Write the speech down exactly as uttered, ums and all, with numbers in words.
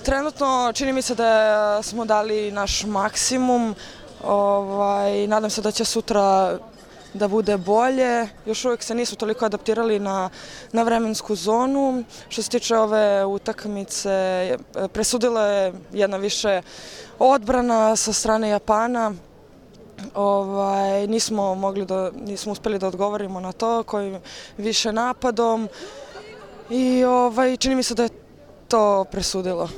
Trenutno čini mi se da smo dali naš maksimum. Ovaj, nadam se da će sutra da bude bolje. Još uvijek se nisu toliko adaptirali na, na vremensku zonu. Što se tiče ove utakmice, presudila je jedna više odbrana sa strane Japana. Ovaj, nismo, mogli da, nismo uspjeli da odgovorimo na to, kojim više napadom. I ovaj, čini mi se da je to presudilo.